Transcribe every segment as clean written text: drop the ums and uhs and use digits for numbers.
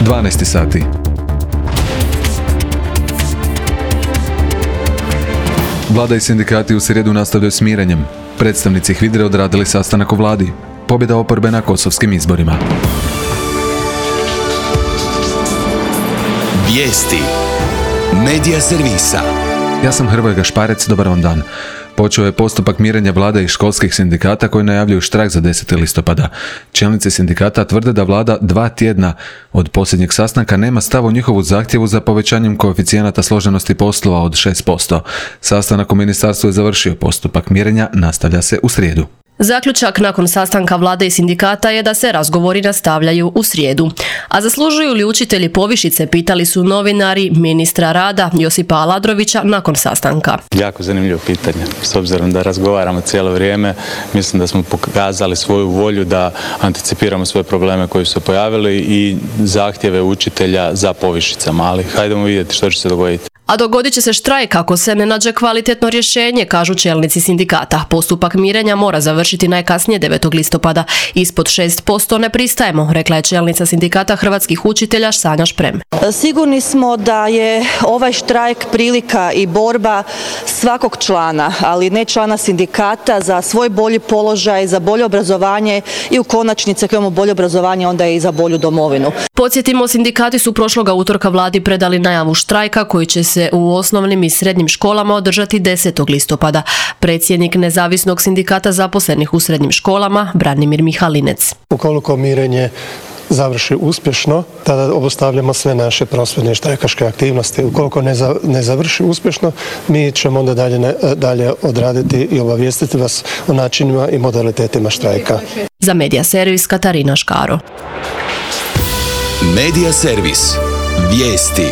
12 sati. Vlada i sindikati u srijedu nastavljaju s mirenjem. Predstavnici HVIDRE odradili sastanak u vladi. Pobjeda oporbe na kosovskim izborima. Vijesti Medija servisa. Ja sam Hrvoje Gašparec, dobar vam dan. Počeo je postupak mirenja vlade i školskih sindikata koji najavljuju štrajk za 10. listopada. Čelnici sindikata tvrde da vlada 2 tjedna od posljednjeg sastanka nema stav u njihovu zahtjevu za povećanjem koeficijenata složenosti poslova od 6%. Sastanak u ministarstvu je završio, postupak mirenja nastavlja se u srijedu. Zaključak nakon sastanka vlade i sindikata je da se razgovori nastavljaju u srijedu. A zaslužuju li učitelji povišice, pitali su novinari ministra rada Josipa Aladrovića nakon sastanka. Jako zanimljivo pitanje. S obzirom da razgovaramo cijelo vrijeme, mislim da smo pokazali svoju volju da anticipiramo svoje probleme koji su se pojavili i zahtjeve učitelja za povišicama, ali hajdemo vidjeti što će se dogoditi. A dogodit će se štrajk ako se ne nađe kvalitetno rješenje, kažu čelnici sindikata. Postupak mirenja mora završiti najkasnije 9. listopada. Ispod 6% ne pristajemo, rekla je čelnica sindikata hrvatskih učitelja Sanja Šprem. Sigurni smo da je ovaj štrajk prilika i borba svakog člana, ali ne člana sindikata, za svoj bolji položaj, za bolje obrazovanje i u konačnici ako imamo bolje obrazovanje onda je i za bolju domovinu. Podsjetimo, sindikati su prošloga utorka vladi predali najavu štrajka koji će se u osnovnim i srednjim školama održati 10. listopada. Predsjednik Nezavisnog sindikata zaposlenih u srednjim školama, Branimir Mihalinec. Ukoliko mirenje završi uspješno, tada obustavljamo sve naše prosvjedne i štrajkaške aktivnosti. Ukoliko ne završi uspješno, mi ćemo onda dalje odraditi i obavijestiti vas o načinima i modalitetima štrajka. Za Medija servis Katarina Škaro. Medija servis. Vijesti.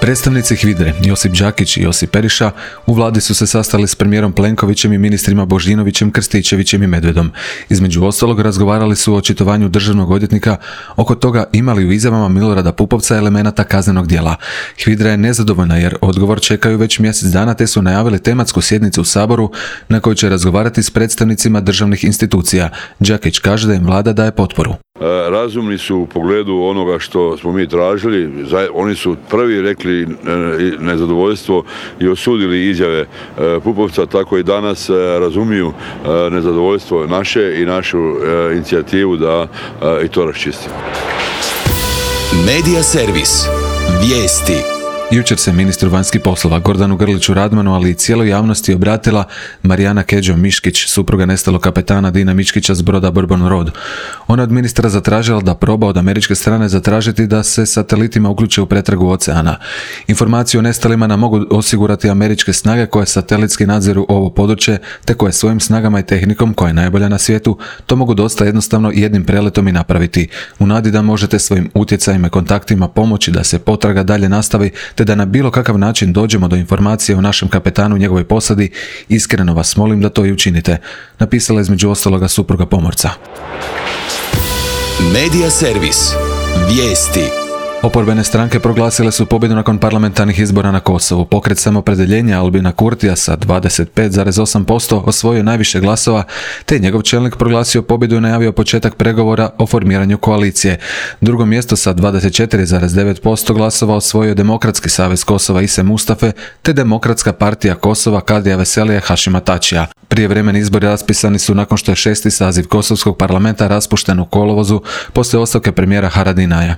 Predstavnici HVIDRE, Josip Đakić i Josip Periša, u vladi su se sastali s premijerom Plenkovićem i ministrima Božinovićem, Krstičevićem i Medvedom. Između ostalog razgovarali su o očitovanju državnog odvjetnika oko toga imali u izjavama Milorada Pupovca elemenata kaznenog djela. HVIDRA je nezadovoljna jer odgovor čekaju već mjesec dana te su najavili tematsku sjednicu u Saboru na kojoj će razgovarati s predstavnicima državnih institucija. Đakić kaže da im vlada daje potporu. Razumni su u pogledu onoga što smo mi tražili. Oni su prvi rekli nezadovoljstvo i osudili izjave Pupovca, tako i danas razumiju nezadovoljstvo naše i našu inicijativu da i to raščistimo. Medija servis. Vijesti. Jučer se ministru vanjskih poslova Gordanu Grliću Radmanu, ali i cijeloj javnosti obratila Marijana Keđo-Miškić, supruga nestalog kapetana Dina Miškića s broda Bourbon Road. Ona od ministra zatražila da proba od američke strane zatražiti da se satelitima uključe u pretragu oceana. Informaciju o nestalima nam mogu osigurati američke snage koje satelitski nadziru ovo područje, te koje svojim snagama i tehnikom, koja je najbolja na svijetu, to mogu dosta jednostavno jednim preletom i napraviti. U nadi da možete svojim utjecajima i kontaktima pomoći da se potraga dalje nastavi, te da na bilo kakav način dođemo do informacije o našem kapetanu i njegovoj posadi, iskreno vas molim da to i učinite, napisala između ostaloga supruga pomorca. Medija servis. Vijesti. Oporbene stranke proglasile su pobjedu nakon parlamentarnih izbora na Kosovu. Pokret Samopredjeljenja Albina Kurtija sa 25,8% osvojio najviše glasova, te njegov čelnik proglasio pobjedu i najavio početak pregovora o formiranju koalicije. Drugo mjesto sa 24,9% glasova osvojio Demokratski savez Kosova Ise Mustafe, te Demokratska partija Kosova Kadrija Veselija Hašima Tačija. Prijevremeni izbori raspisani su nakon što je 6. saziv Kosovskog parlamenta raspušten u kolovozu poslije ostavke premijera Haradinaja.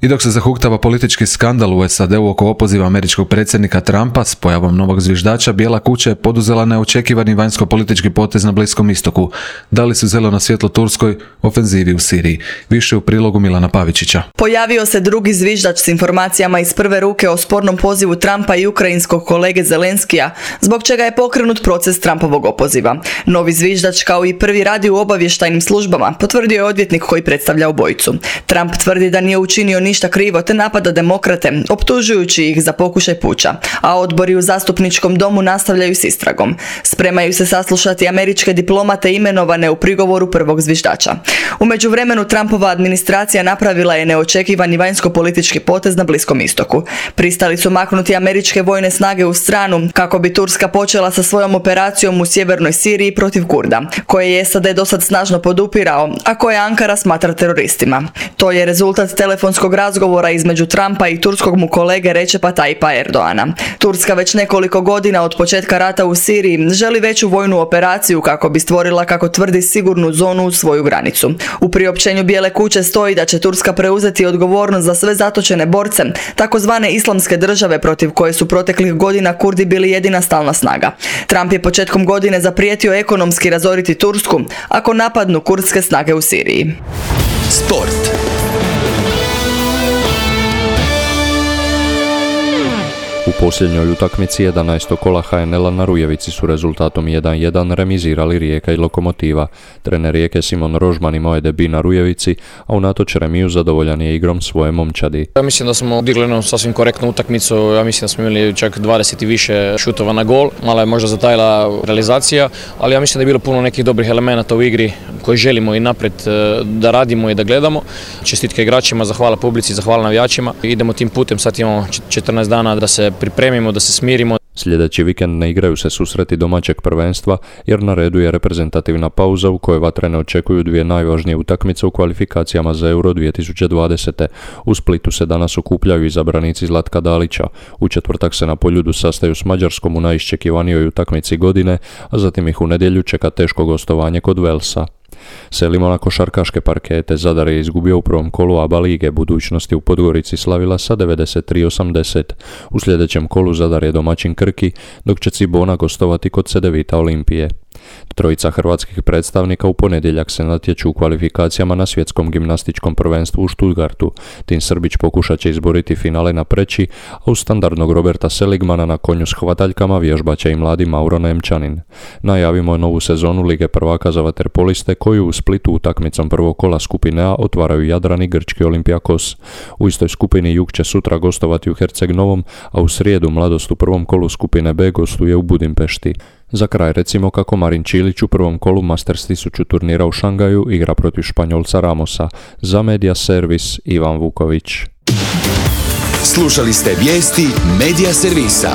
I dok se zahuktava politički skandal u SAD-u oko opoziva američkog predsjednika Trumpa s pojavom novog zviždača, Bijela kuća je poduzela neočekivani vanjsko-politički potez na Bliskom istoku. Dali su zeleno svjetlo turskoj ofenzivi u Siriji. Više u prilogu Milana Pavičića. Pojavio se drugi zviždač s informacijama iz prve ruke o spornom pozivu Trumpa i ukrajinskog kolege Zelenskija, zbog čega je pokrenut proces Trumpovog opoziva. Novi zviždač, kao i prvi, radi u obavještajnim službama, potvrdio je odvjetnik koji predstavlja obojicu. Trump tvrdi da nije učinio ništa krivo te napada demokrate, optužujući ih za pokušaj puča, a odbori u zastupničkom domu nastavljaju s istragom. Spremaju se saslušati američke diplomate imenovane u prigovoru prvog zviždača. U međuvremenu Trumpova administracija napravila je neočekivani vanjsko-politički potez na Bliskom istoku. Pristali su maknuti američke vojne snage u stranu kako bi Turska počela sa svojom operacijom u sjevernoj Siriji protiv Kurda, koje je SAD dosad snažno podupirao, a koje Ankara smatra teroristima. To je rezultat telefonskog razgovora između Trumpa i turskog mu kolege Recepa Tayyipa Erdoana. Turska već nekoliko godina od početka rata u Siriji želi veću vojnu operaciju kako bi stvorila, kako tvrdi, sigurnu zonu uz svoju granicu. U priopćenju Bijele kuće stoji da će Turska preuzeti odgovornost za sve zatočene borce, takozvane islamske države protiv koje su proteklih godina Kurdi bili jedina stalna snaga. Trump je početkom godine zaprijetio ekonomski razoriti Tursku ako napadnu kurdske snage u Siriji. Sport. U posljednjoj utakmici 11. kola HNL-a na Rujevici su rezultatom 1-1 remizirali Rijeka i Lokomotiva. Trener Rijeke Simon Rožman imao je debut na Rujevici, a unatoč remiju zadovoljan je igrom svoje momčadi. Ja mislim da smo odigli jednu sasvim korektnu utakmicu, ja mislim da smo imali čak 20 i više šutova na gol, malo je možda zatajila realizacija, ali ja mislim da je bilo puno nekih dobrih elemenata u igri koje želimo i naprijed da radimo i da gledamo. Čestitke igračima, zahvala publici, zahvala navijačima. Idemo tim putem, sad imamo 14 dana da se pripremimo, da se smirimo. Sljedeći vikend ne igraju se susreti domaćeg prvenstva jer na redu je reprezentativna pauza u kojoj vatrene očekuju dvije najvažnije utakmice u kvalifikacijama za Euro 2020. U Splitu se danas okupljaju izabranici Zlatka Dalića. U četvrtak se na Poljudu sastaju s Mađarskom u najiščekivanijoj utakmici godine, a zatim ih u nedjelju čeka teško gostovanje kod Velsa. Selimo na košarkaške parkete. Zadar je izgubio u prvom kolu ABA lige, budućnosti u Podgorici slavila sa 93-80. U sljedećem kolu Zadar je domaćin Krki, dok će Cibona gostovati kod Cedevita Olimpije. Trojica hrvatskih predstavnika u ponedjeljak se natječu u kvalifikacijama na svjetskom gimnastičkom prvenstvu u Stuttgartu. Tin Srbić pokušat će izboriti finale na preći, a uz standardnog Roberta Seligmana na konju s hvataljkama vježbat će i mladi Mauro Nemčanin. Najavimo novu sezonu Lige prvaka za vaterpoliste koju u Splitu utakmicom prvog kola skupine A otvaraju Jadran i grčki Olympiakos. U istoj skupini Jug će sutra gostovati u Herceg Novom, a u srijedu Mladost u prvom kolu skupine B gostuje u Budimpešti. Za kraj recimo kako Marin Čilić u prvom kolu Masters 1000 turnira u Šangaju igra protiv Španjolca Ramosa. Za Media Servis Ivan Vuković. Slušali ste vijesti Media Servisa.